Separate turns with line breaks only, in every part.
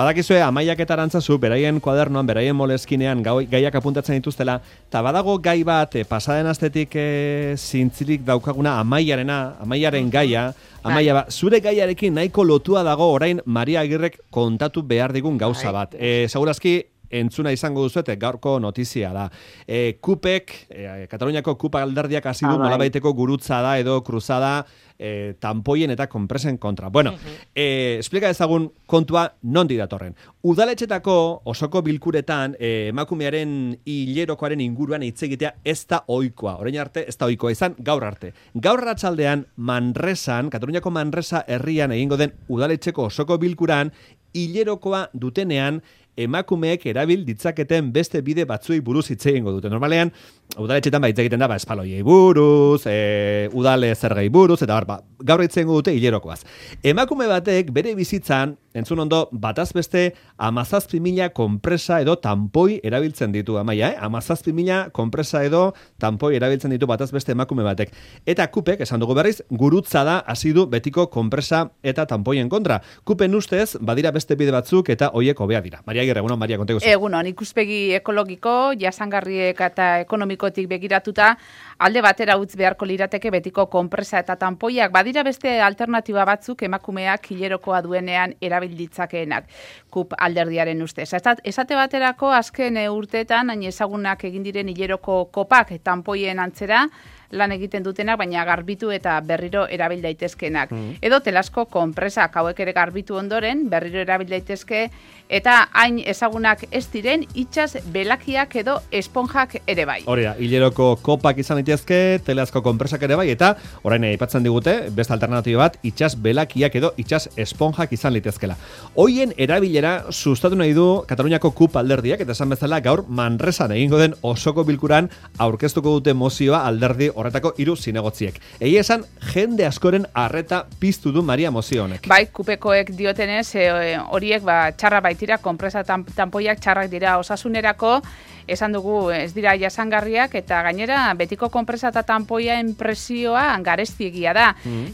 Badakizue Amaiak eta Arantzazu beraien kuadernoan, beraien molezkinean gaiak apuntatzen dituztela, eta badago gai bat pasaden astetik zintzilik daukaguna Amaiaren gaia, Amaia, zure gaiarekin nahiko lotua dago orain Maria Agirrek kontatu behar digun gauza bat. Segurazki entzuna izango duzuete, gaurko notizia da. Kupek, Kataluniako Kupa alderdiak hasi du nolabaiteko gurutzada edo kruzada tanpoien eta konpresen kontra. Bueno, explika ezagun kontua nondi datorren. Udaletxetako osoko bilkuretan emakumearen hilerokoaren inguruan hitz egitea ez da ohikoa. Orain arte ez da ohikoa izan gaur arte. Gaur arratsaldean Manresan, Kataluniako Manresa herrian egingo den udaletxeko osoko bilkuran hilerokoa dutenean emakumeek erabil ditzaketen beste bide batzuei buruz hitz egingo dute. Normalean, udaletxetan hitz egiten da, espaloiei buruz, udale zergei buruz, eta gaur hitz egingo dute hilerokoaz. Emakume batek bere bizitzan, entzun ondo, bataz beste 17.000 konpresa edo tanpoi erabiltzen ditu, Amaia, 17.000 konpresa edo tanpoi erabiltzen ditu bataz beste emakume batek. Eta Kupek, esan dugu berriz, gurutza da hasi du betiko konpresa eta tanpoien kontra. Kupen ustez, badira beste bide batzuk eta hoiek hobea dira. Maria Agirre, egunon, Maria, konteguzu.
Egunon, ikuspegi ekologiko, jasangarriek eta ekonomikotik begiratuta, alde batera utz beharko lirateke betiko konpresa eta tanpoiak. Badira beste alternatiba batzuk emakumeak hilerokoa duenean erabil ditzakeenak. Kup alderdiaren ustez. Esate baterako azken urteetan hain ezagunak egin diren hileroko kopak tanpoien antzera lan egiten dutenak, baina garbitu eta berriro erabil daitezkenak. Edo telasko konpresak hauek ere garbitu ondoren, berriro erabil daitezke, eta hain ezagunak ez diren itsas belakiak edo esponjak ere bai.
Hori da, hileroko kopak izan daitezke, telasko konpresak ere bai, eta orain aipatzen digute, beste alternatiba bat, itsas belakiak edo itsas esponjak izan litezkela. Hoien erabilera sustatu nahi du Kataluniako Kup alderdiak, eta esan bezala gaur Manresan egingo den osoko bilkuran aurkeztuko dute mozioa alderdi horretako 3 zinegotziek. Egia esan, jende askoren arreta piztu du Maria mozio honek.
Bai, Kupekoek diotenez, horiek txarra baitira, konpresa tanpoiak txarrak dira osasunerako, esan dugu ez dira jasangarriak, eta gainera betiko konpresa eta tanpoien presioa garestiegia da.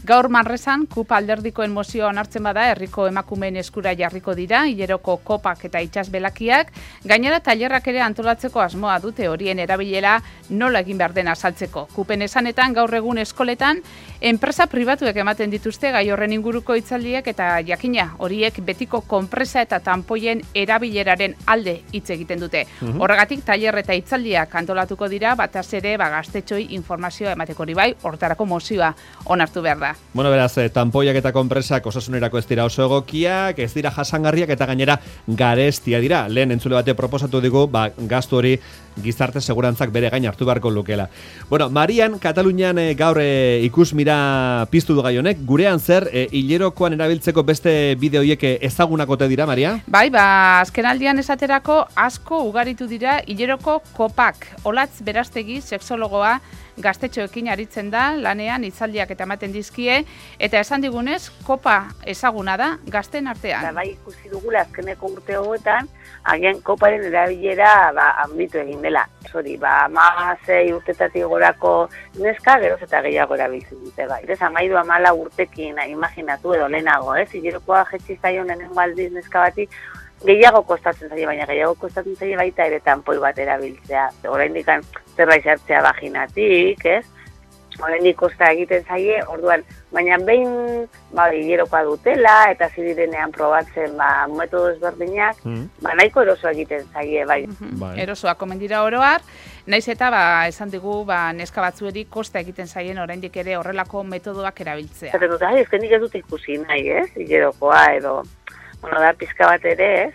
Gaur Manresan, Kup alderdikoen mozioa onartzen bada, herriko emakumeen eskura jarriko dira, hileroko kopak eta itsas belakiak, gainera tailerrak ere antolatzeko asmoa dute horien erabilera nola egin behar den azaltzeko. Kupen esanetan gaur egun eskoletan, enpresa pribatuek ematen dituzte gai horren inguruko hitzaldiak eta jakina horiek betiko konpresa eta tanpoien erabileraren alde hitz egiten dute. Horregatik tailer eta hitzaldiak antolatuko dira, bataz ere gaztetxoi informazioa emateko hori bai, hortarako mozioa onartu behar da.
Bueno, beraz, tanpoiak eta konpresak osasunerako ez dira oso egokiak, ez dira jasangarriak eta gainera garestia dira. Lehen entzule bate proposatu digu, gastu hori gizarte segurantzak bere gain hartu beharko lukela. Bueno, Marian, Katalunian gaur ikusmira piztu du gai honek, gurean zer, hilerokoan erabiltzeko beste bide horiek ezagunakote dira, Maria?
Bai, azkenaldian esaterako asko ugaritu dira hileroko kopak. Olatz Berastegi, sexologoa, gaztetxoekin aritzen da, lanean hitzaldiak eta ematen dizkie, eta esan digunez, kopa ezaguna da gazten artean.
Bai, ikusi dugula azkeneko urte hauetan, agian koparen erabilera handitu egin dela. Hori, 16 urtetatik gorako neska, geroz eta gehiago erabiltzen dute, bai. 13-14 urtekin, imaginatu edo lehenago, hilerokoa jetzi zaion lehenengo aldiz neska bati, gehiago kostatzen zaie, baina gehiago kostatzen zaie baita ere tanpoi bat erabiltzea. Oraindik zerbait sartzea vaginatik, ez? Oraindik kosta egiten zaie, orduan, baina behin hilerokoa dutela eta zidirenean probatzen metodo ezberdinak, nahiko erosoa egiten zaie, bai.
Erosoa komen dira oroar, naiz eta esan digu neska batzueri kosta egiten zaien oraindik ere horrelako metodoak erabiltzea.
Zaten dut, ezkenik ez dut ikusi nahi, ez? Hilerokoa edo, da pizka bat ere, ez?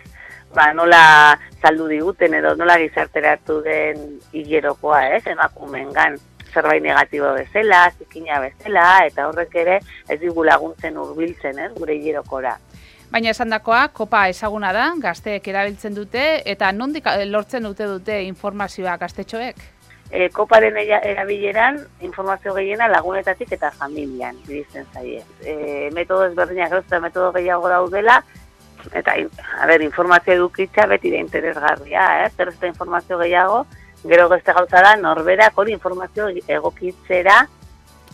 Nola saldu diguten edo nola gizarteratu den hilerokoa, ez? Emakumeengan zerbait negatibo bezala, zikina bezala, eta horrek ere ez digu laguntzen hurbiltzen, ez? Gure hilerokora.
Baina esandakoa, kopa ezaguna da, gazteek erabiltzen dute, eta nondik lortzen dute informazioa gaztetxoek?
Koparen erabileran informazio gehiena lagunetatik eta familian irizten zaie. Metodo ezberdinak eta metodo gehiago daudela, eta, informazio edukitza beti da interesgarria, zer ez da informazio gehiago, gero beste gauza da, norberak hori informazio egokitzera,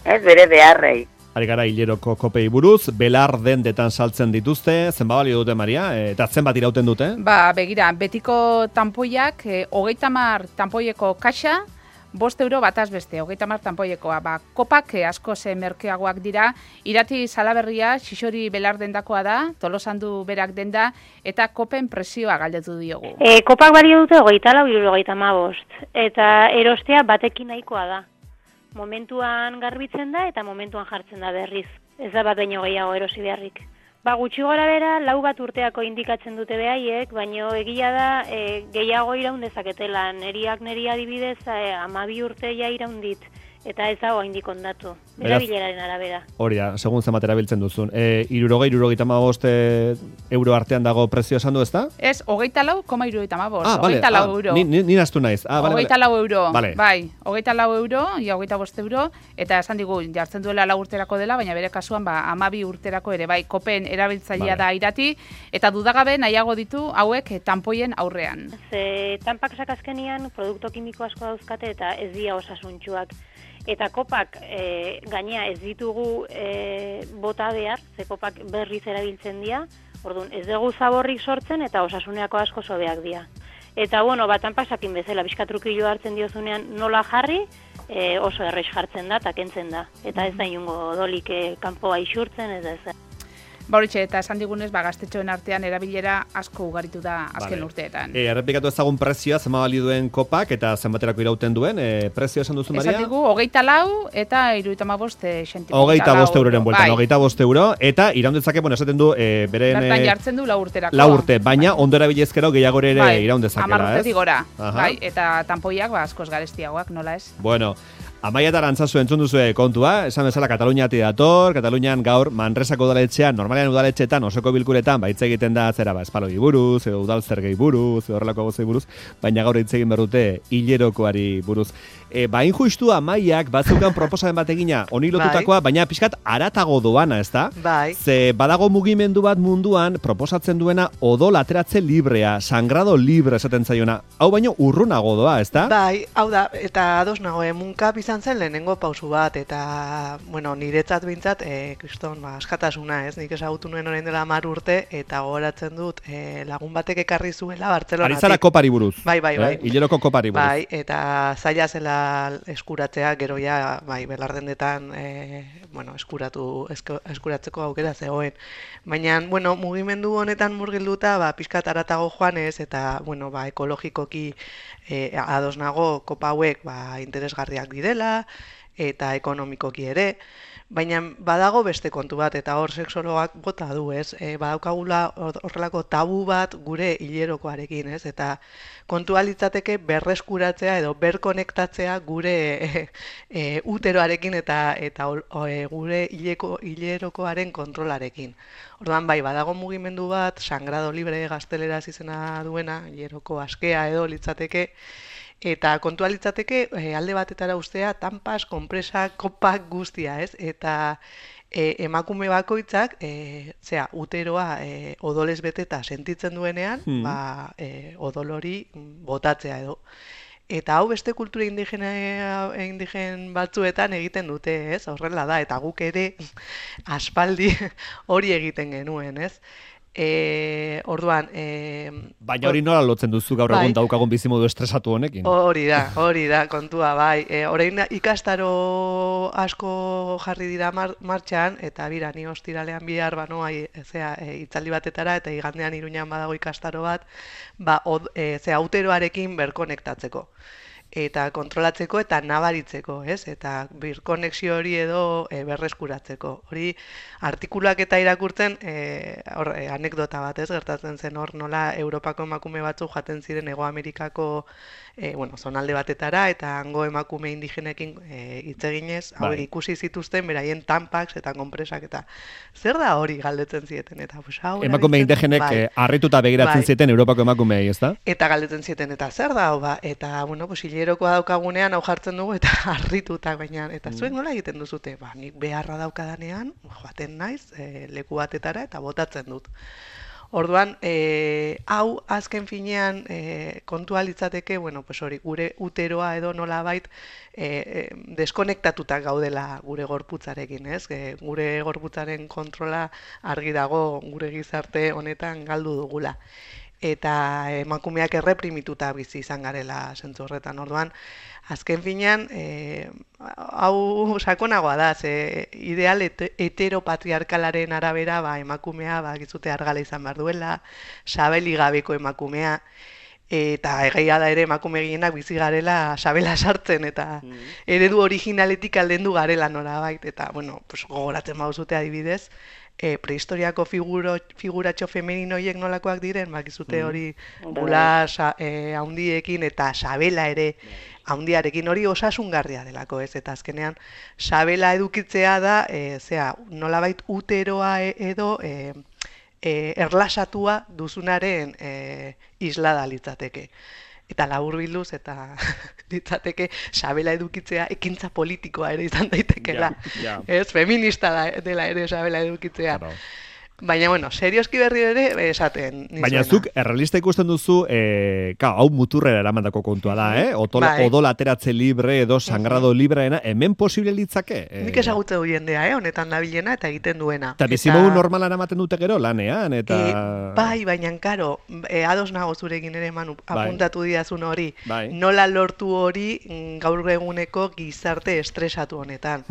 bere beharrei.
ari gara hileroko kopei buruz, belar dendetan saltzen dituzte, zenbat balio dute, Maria, eta zenbat irauten dute?
Begira, betiko tanpoiak, 30 tanpoieko kaxa, 5 euro bataz beste, 30 tanpoiekoa. Kopak asko merkeagoak dira, irati Salaberria, Xixori belar dendakoa da, Tolosandu berak denda, eta kopen presioa galdetu diogu.
Kopak balio dute 34,75, eta erostea batekin nahikoa da. Momentuan garbitzen da eta momentuan jartzen da berriz. Ez da bat baino gehiago erosi beharrik. Gutxi gora bera, 4 bat urteako indikatzen dute behaiek, baino egia da gehiago iraun dezaketela. Neri adibidez 12 urte ja iraun dit, eta ez dago indik ondatu. Erabileraren arabera.
Hori da, segun zenbat erabiltzen duzun. 65 euro artean dago prezio esan du, ezta?
Ez, 24,75.
Vale.
24 euro.
Ni nastu naiz.
24 euro.
Vale.
Bai, 24 euro, ia 25 euro, eta esan digu, jartzen duela 4 urterako dela, baina bere kasuan 12 urterako ere, bai, kopen erabiltzailea da irati, eta dudagabe nahiago ditu hauek tanpoien aurrean.
Tanpak sakazkenian produkto kimiko asko dauzkate eta ez dira osasuntsuak. Eta kopak gainea ez ditugu bota behar, ze kopak berriz erabiltzen dira, orduan ez dugu zaborrik sortzen eta osasuneako asko sobeak dira. Eta tanpak sakin bezala, bizkatrukillo hartzen diozunean nola jarri, oso errez jartzen da eta kentzen da. Eta ez da inungo odolik kanpoa isurtzen, ez da ez.
Horitxe, eta esan digunez, gaztetxoen artean erabilera asko ugaritu da azken urteetan.
Errepikatu ezagun prezioa, zenbat balio duen kopak eta zenbaterako irauten duen, prezioa esan duzu, Maria?
Esan digu, 24 eta 75 sentimo.
25 euroren bueltan, 25 euro, eta iraundetzake, esaten du, beren...
Bertan jartzen du 4 urterako.
4 urte, baina ondo erabilezkero gehiago ere iraundezakela, ez?
10 urtetik gora, eta tanpoiak askoz garestiagoak, nola ez?
Bueno, Amaia eta Arantzazu entzun duzue kontua, esan bezala Kataluniatik dator, Katalunian gaur Manresako udaletxean, normalean udaletxetan, osoko bilkuretan, hitz egiten da zera espaloi buruz, edo udal zergei buruz, edo horrelako gozei buruz, baina gaur hitz egin berrute hilerokoari buruz. Injustu Amaiak batzukan proposamen bat egina honi lotutakoa, baina pixkat aratago doana, ezta?
Bai.
Ze badago mugimendu bat munduan proposatzen duena odol ateratze librea, sangrado libre esaten zaiona. Hau baino urrunago doa, ezta?
Bai, hau da, eta ados nago, munkap izan zen lehenengo pausu bat, eta, niretzat bintzat, kriston, askatasuna, ez? Nik ezagutu nuen orain dela 10 urte, eta gogoratzen dut, lagun batek ekarri zuela Bartzelonatik.
Arizara kopari buruz.
Bai.
Hileroko kopari buruz.
Bai, eta zaila zela eskuratzea, gero ja, belardendetan, eskuratzeko aukera zegoen. Baina, mugimendu honetan murgilduta, pixkat aratago joanez, eta, ekologikoki ados nago kopa hauek, interesgarriak direla, eta ekonomikoki ere, baina badago beste kontu bat, eta hor sexologak bota du, ez? Badaukagula horrelako tabu bat gure hilerokoarekin, ez? Eta kontua litzateke berreskuratzea edo berkonektatzea gure uteroarekin eta gure hilerokoaren kontrolarekin. Orduan badago mugimendu bat, sangrado libre gazteleraz izena duena, hileroko askea edo litzateke, eta kontua litzateke alde batetara ustea tanpas, konpresak, kopak guztia, ez? Eta emakume bakoitzak, uteroa odolez beteta sentitzen duenean, odol hori botatzea edo. Eta hau beste kultura indigen batzuetan egiten dute, ez? Horrela da, eta guk ere aspaldi hori egiten genuen, ez? Orduan...
Baina hori nola lotzen duzu gaur egun daukagun bizimodu estresatu honekin?
Hori da, kontua, bai. Orain ikastaro asko jarri dira martxan, eta bira, ni ostiralean bihar banoa itzaldi batetara, eta igandean Iruñan badago ikastaro bat, uteroarekin berkonektatzeko. Eta kontrolatzeko eta nabaritzeko, ez? Eta birkonexio hori edo berreskuratzeko. Hori artikuluak eta irakurtzen, anekdota bat, ez? Gertatzen zen hor nola Europako emakume batzu jaten ziren Hego Amerikako zonalde batetara, eta hango emakume indigenekin hitz eginez, hauek ikusi zituzten beraien tampaks eta konpresak, eta zer da hori galdetzen zieten, eta
emakume indigenek harrituta begiratzen zieten Europako emakumeei, ezta?
Eta galdetzen zieten, eta zer da hau, eta hilerokoa daukagunean hau jartzen dugu eta harrituta, baina, eta zuek nola egiten duzute? Nik beharra daukadanean, joaten naiz, leku batetara eta botatzen dut. Orduan, hau azken finean kontua litzateke, bueno, pues hori, gure uteroa edo nolabait deskonektatuta gaudela gure gorputzarekin, ez? Gure gorputzaren kontrola argi dago gure gizarte honetan galdu dugula. Eta emakumeak erreprimituta bizi izan garela zentzu horretan. Orduan, azken finean, hau sakonagoa da, ideal heteropatriarkalaren arabera, emakumea, gizute argala izan behar duela, sabeli gabeko emakumea, eta egia da ere emakume gehienak bizi garela sabela sartzen, eta eredu originaletik aldendu garela norabait, eta, bueno, pues, gogoratzen bauzute adibidez, prehistoriako figuratxo femeninoiek nolakoak diren, bakizute hori bula haundiekin eta sabela ere haundiarekin, hori osasungarria delako, ez? Eta azkenean sabela edukitzea da, nolabait uteroa edo erlasatua duzunaren islada litzateke. Eta laburbilduz eta litzateke sabela edukitzea ekintza politikoa ere izan daitekela. Ez, feminista dela ere sabela edukitzea. Claro. Baina, bueno, serioski berri ere esaten.
Baina zuk errealista ikusten duzu, hau muturrera eramandako kontua da, odol ateratze libre edo sangrado libreena, hemen posible litzake?
Nik ezagutze du jendea, honetan dabilena eta egiten duena.
Eta bizimogu normalan ematen dute gero lanean, eta...
Bai, baina, karo, ados nago zurekin ere, Manu, apuntatu didazun hori, nola lortu hori gaur eguneko gizarte estresatu honetan.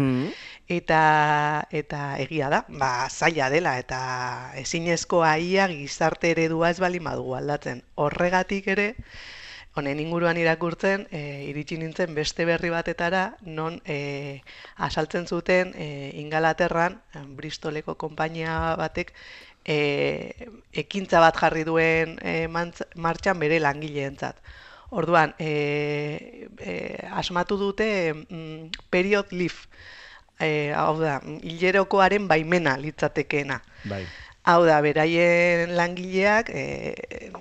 Eta egia da, zaila dela, eta ezinezkoa ia gizarte eredua ez baldin badugu aldatzen. Horregatik ere, honen inguruan irakurtzen, iritsi nintzen beste berri batetara, non asaltzen zuten Ingalaterran, Bristoleko konpainia batek, ekintza bat jarri duen martxan bere langileentzat. Orduan, asmatu dute period leave, hau da, hilerokoaren baimena litzatekeena.
Bai.
Hau da, beraien langileak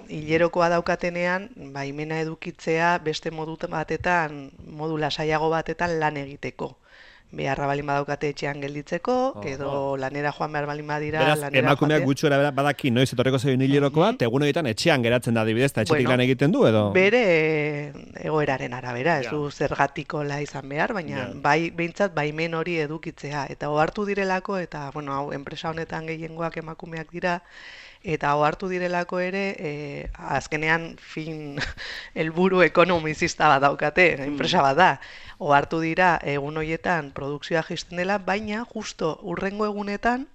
hilerokoa daukatenean baimena edukitzea beste modu lasaiago batetan lan egiteko. Beharra balin badaukate etxean gelditzeko, edo lanera joan behar balin badira.
Beraz, emakumeak gutxura badaki noiz etorreko zein hilerokoa, egun horietan etxean geratzen da adibidez, eta etxetik lan egiten du, edo?
Bere egoeraren arabera, ez du zergatikola izan behar, baina behintzat baimen hori edukitzea. Eta ohartu direlako, eta, bueno, hau, enpresa honetan gehiengoak emakumeak dira, eta ohartu direlako ere, azkenean helburu ekonomizista bat daukate, enpresa bat da. Ohartu dira egun horietan produkzioa jaisten dela, baina justo urrengo egunetan,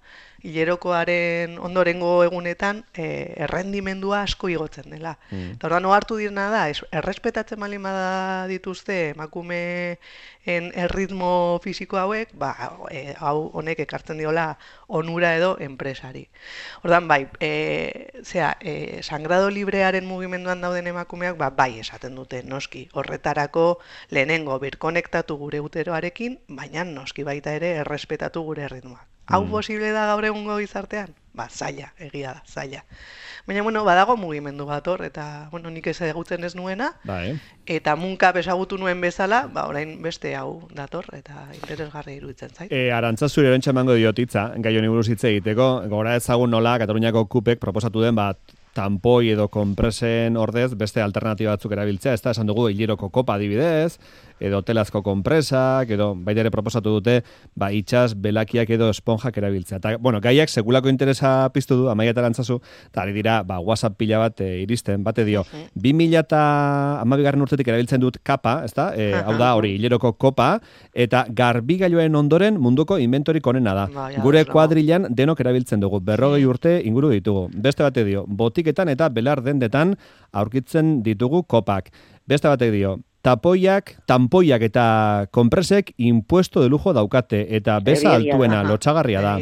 hilerokoaren ondorengo egunetan, errendimendua asko igotzen dela. Eta orduan ohartu direna da, errespetatzen baldin bada dituzte emakumeen erritmo fisiko hauek, hau honek ekartzen diola onura edo enpresari. Orduan bai, sangrado librearen mugimenduan dauden emakumeak, bai esaten dute, noski, horretarako lehenengo birkonektatu gure uteroarekin, baina noski baita ere errespetatu gure erritmoak. Hau posible da gaur egungo gizartean? Zaila, egia da, zaila. Baina, bueno, badago mugimendu bat hor, eta, bueno, nik ezagutzen ez nuena, eta munka ezagutu nuen bezala, orain beste hau dator, eta interesgarri iruditzen zait.
Arantza zure erantxa emango diotitza, gai honi buruz hitz egiteko, gora ezagun nola Kataluniako kupek proposatu den tanpoi edo konpresen ordez beste alternatiba batzuk erabiltzea, ez da, esan dugu hileroko kopa adibidez, edo telazko konpresak, edo baita ere proposatu dute, itxas, belakiak edo esponjak erabiltzea. Eta, bueno, gaiak sekulako interesa piztu du, Amaia eta Arantzazu, eta ari dira, WhatsApp pila bat iristen, bate dio, 2012 urtetik erabiltzen dut kapa, ez da, hau da, hori, hileroko kopa, eta garbigailuaren ondoren munduko inventorik onena da. Gure kuadrilan denok erabiltzen dugu, 40 urte inguru ditugu. Beste bate dio, botiketan eta belar dendetan aurkitzen ditugu kopak. Beste batek dio, tanpoiak eta konpresek impuesto de lujo daukate, eta beza altuena, lotxagarria da.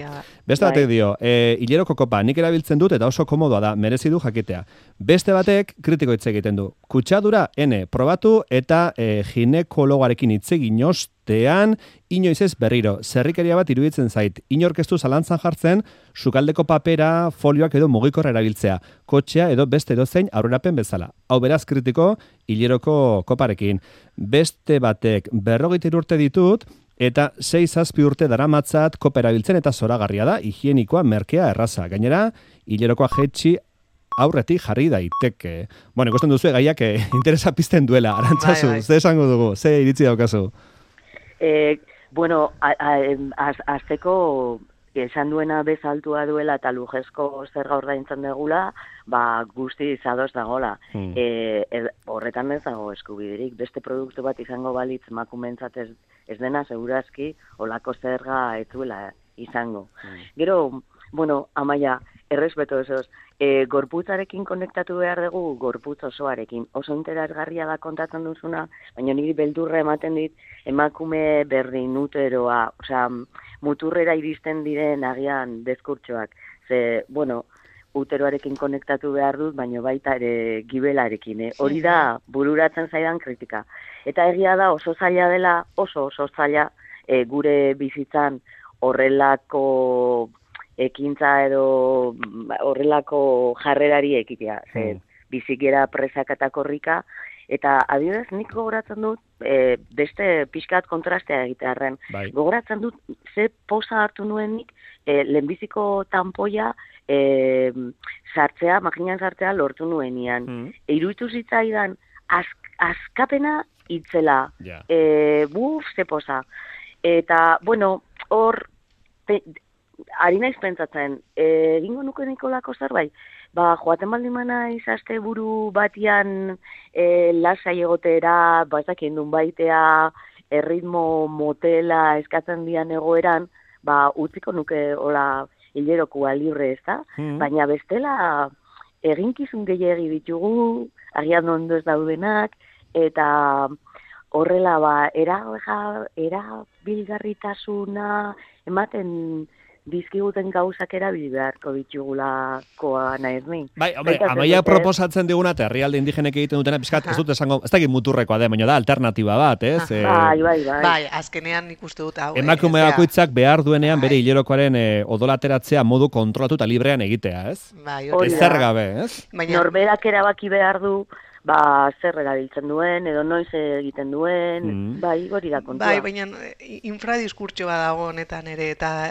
Beste batek dio, hileroko kopa nik erabiltzen dut eta oso komodoa da, merezi du jakitea. Beste batek kritiko hitz egiten du. Kutsadura, probatu eta ginekologarekin hitz egin ostean, inoiz ez berriro, zerrikeria bat iruditzen zait, inorkestu zalantzan jartzen, sukaldeko papera, folioak edo mugikorra erabiltzea, kotxea edo beste edozein aurrerapen bezala. Hau beraz kritiko, hileroko koparekin. Beste batek 43 urte ditut, eta 6-7 urte daramatzat kopa erabiltzen eta zoragarria da, higienikoa, merkea, erraza. Gainera, hilerokoa jetxi aurretik jarri daiteke. Bueno, ikusten duzu gaiak interesa pizten duela, Arantzazu, ze esango dugu, ze iritzi daukazu?
Bueno, azteko esan duena bezaltua duela eta lujezko zerga ordaintzen degula, guzti izadoz dagola. Horretan ez dago eskubiderik. Beste produktu bat izango balitz makumentzat ez dena, segurazki, olako zerga ez duela izango. Gero, bueno, Amaia, errespeto esoz, gorputzarekin konektatu behar dugu, gorputz osoarekin. Oso interesgarria da kontatzen duzuna, baina niri beldurra ematen dit, emakume berdin uteroa, osea, muturrera iristen diren agian deskurtsoak. Ze, bueno, uteroarekin konektatu behar dut, baina baita ere gibelarekin. Hori da bururatzen zaidan kritika. Eta egia da oso zaila dela, oso zaila gure bizitzan horrelako ekintza edo horrelako jarrerari ekitea. Bizikera presak eta korrika, eta adibidez nik gogoratzen dut, beste pixkat kontrastea egitearren. Gogoratzen dut, ze poza hartu nuenik, lehenbiziko tanpoia sartzea, maginan sartzea lortu nuenian. Iruditu zitzaidan, askapena itzela. Ze poza. Eta, bueno, hor, ari naiz pentsatzen, egingo nuke nikolako zerbait, joaten baldin naiz aste buru batian lasai egotera, ezakien dun baitea, erritmo motela eskatzen dian egoeran, utziko nuke hola hilerokua libre ez da, baina bestela eginkizun gehiegi ditugu, agian ondo ez daudenak, eta horrela erabilgarritasuna ematen dizkiguten gauzak erabili beharko ditugulakoa naiz ni.
Hombre, Amaia proposatzen diguna, eta herrialde indigenek egiten dutena, pizkat, ez dut esango, ez dakit muturrekoa da, baina da alternatiba bat, ez?
Bai, azkenean ikuste dut hau.
Emakume bakoitzak behar duenean bere hilerokoaren odolateratzea modu kontrolatu eta librean egitea, ez? Ez zer gabe, ez?
Norberak erabaki behar du, zer erabiltzen duen, edo noiz egiten duen, hori da kontua.
Baina infradiskurtso bat dago honetan ere, eta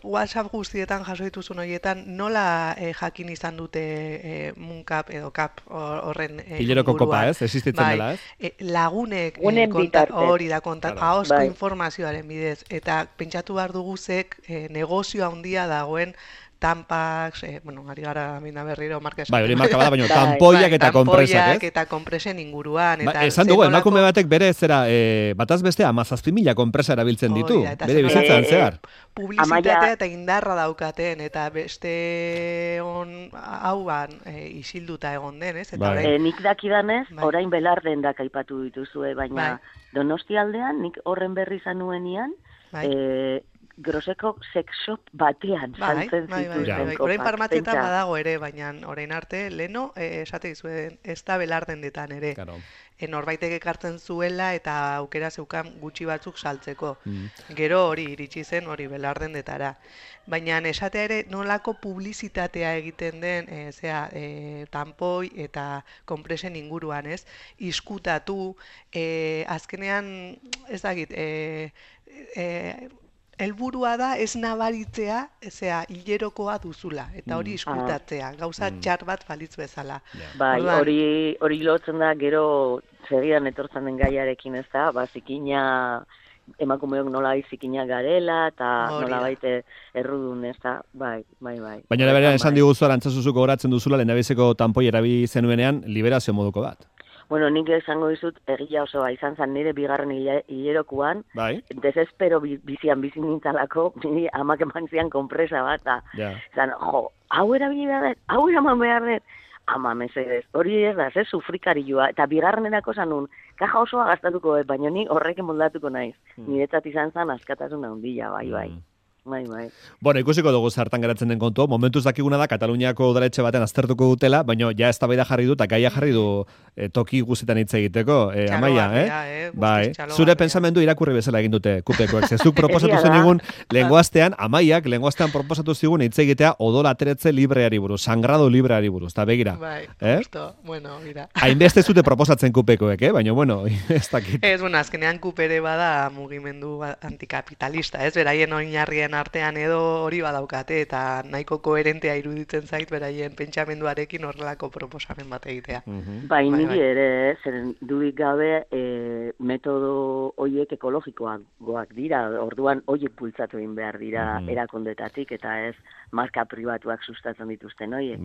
WhatsApp guztietan jaso dituzun horietan, nola jakin izan dute Munkap edo Kap horren
hileroko kopa, ez? Existitzen dela, ez?
Lagunek hori da kontatu, ahozko informazioaren bidez, eta pentsatu behar duguzek negozio handia dagoen Tampax, ari gara mina berriro markesak.
Hori marka bada, baina tampoiak eta konpresak, ez?
Tampoiak eta konpresen inguruan.
Esan dugu, emakume batek bere zera, bataz beste, 17.000 konpresa erabiltzen ditu, bere bizitzan zehar.
Publizitatea eta indarra daukaten, eta beste hauan isilduta egon den, ez?
Nik dakidanez, orain Belarden aipatu dituzue, baina Donostialdean, nik horren berri izan nuenian, Groseko sex shop batean saltzen zituzten kopak.
Orain farmazietan badago ere, baina orain arte, leno, esate dizuen, ez da Belardendetan ere. Norbaitek ekartzen zuela eta aukera zeukan gutxi batzuk saltzeko. Gero hori iritsi zen hori Belardendetara. Baina esatea ere nolako publizitatea egiten den, tampoi eta konpresen inguruan, ez? Iskutatu, azkenean, ez dakit, helburua da ez nabaritzea, hilerokoa duzula, eta hori iskutatzea, gauza txar bat balitz bezala.
Hori lotzen da, gero segidan etortzen den gaiarekin ez da, zikina, emakumeok nola zikina garela, eta nola baite errudun ez da, bai.
Baina berean esan diguzu, Arantzazuzuko goratzen duzula, lehendabiziko tanpoi erabi zenuenean, liberazio moduko bat.
Bueno, nik esango dizut egia osoa izan zen nire bigarren hilerokuan, desespero bizian bizi nintzalako, nire amak eman zian konpresa bat, zan, hau erabili behar dut, hau eraman behar dut, ama mesedez, hori ez da, sufrikarioa, eta bigarrenerako zanun, kaja osoa gastatuko, baina ni horrekin moldatuko naiz, niretzat izan zen askatasuna handia, bai.
Bueno, ikusiko dugu zertan geratzen den kontu. Momentuz dakiguna da Kataluniako udaletxe baten aztertuko dutela, baina ja eztabaida jarri du eta gaia jarri du toki guztietan hitz egiteko. Amaia, bai. Zure pensamendu irakurri bezala egin dute kupekoek. Zuk proposatu zenigun lenguastean, Amaiak lenguastean proposatu zigun hitz egitea odolateretze libreari buruz, sangrado libreari buruz. Ta begira.
Bai, justo. Bueno, mira.
Hainbeste zute proposatzen kupekoek, baina bueno, ez dakit.
Azkenean kupere bada mugimendu antikapitalista, ez? Beraien oinarrien artean edo hori badaukate, eta nahiko koherentea iruditzen zait beraien pentsamenduarekin horrelako proposamen bat egitea.
Bai, niri ere, zeren dudik gabe metodo hoiek ekologikoak dira, orduan hoiek bultzatu egin behar dira erakundetatik, eta ez marka pribatuak sustatzen dituzten hoiek.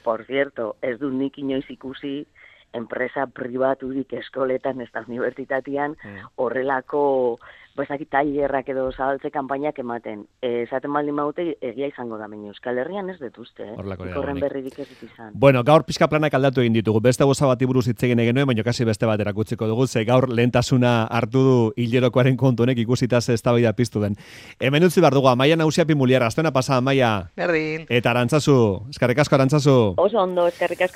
Por cierto, ez dut nik inoiz ikusi enpresa pribaturik eskoletan, ez da unibertsitatean, horrelako tailerrak edo zabaltze kanpainak ematen. Esaten baldin maute, egia izango da, baina Euskal Herrian ez detuzte, horren berririk ez dut izan.
Bueno, gaur pixka planak aldatu egin ditugu. Beste goza bati buruz hitz egin genuen, baina kasi beste bat erakutziko dugu, ze gaur lehentasuna hartu du hilerokoaren kontu honek ikusita ze eztabaida piztu den. Hemen utzi behar dugu, Amaia Nausia Pimuliar, astuna pasa, Amaia.
Berdin.
Eta Arantzazu, eskerrik asko Arantzazu.
Oso ondo, eskerrik asko.